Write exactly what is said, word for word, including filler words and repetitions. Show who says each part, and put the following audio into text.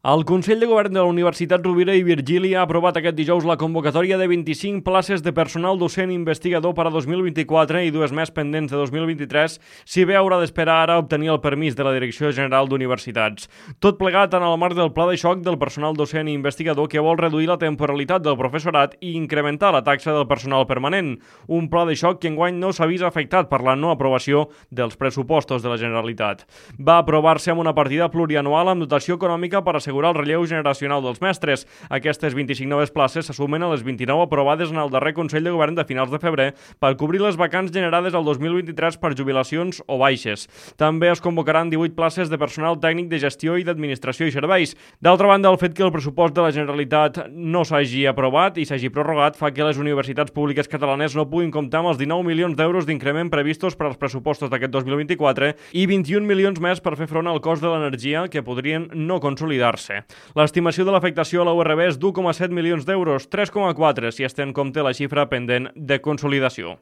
Speaker 1: El Consell de Govern de la Universitat Rovira i Virgili ha aprovat aquest dijous la convocatòria de vint-i-cinc places de personal docent investigador per a dos mil vint-i-quatre i dues més pendents de dos mil vint-i-tres, si bé haurà d'esperar ara obtenir el permís de la Direcció General d'Universitats. Tot plegat en el marc del pla de xoc del personal docent i investigador que vol reduir la temporalitat del professorat i incrementar la taxa del personal permanent. Un pla de xoc que enguany no s'ha vist afectat per la no aprovació dels pressupostos de la Generalitat. Va aprovar-se amb una partida plurianual amb dotació econòmica per assegurar el relleu generacional dels mestres. Aquestes vint-i-cinc noves places s'assumen a les vint-i-nou aprovades en el darrer Consell de Govern de finals de febrer per cobrir les vacants generades el dos mil vint-i-tres per jubilacions o baixes. També es convocaran divuit places de personal tècnic de gestió i d'administració i serveis. D'altra banda, el fet que el pressupost de la Generalitat no s'hagi aprovat i s'hagi prorrogat fa que les universitats públiques catalanes no puguin comptar amb els dinou milions d'euros d'increment previstos per als pressupostos d'aquest dos mil vint-i-quatre i vint-i-un milions més per fer front al cost de l'energia que podrien no consolidar-se. L'estimació de l'afectació a la U R B és d'u coma set milions d'euros, tres coma quatre si es té en compte la xifra pendent de consolidació.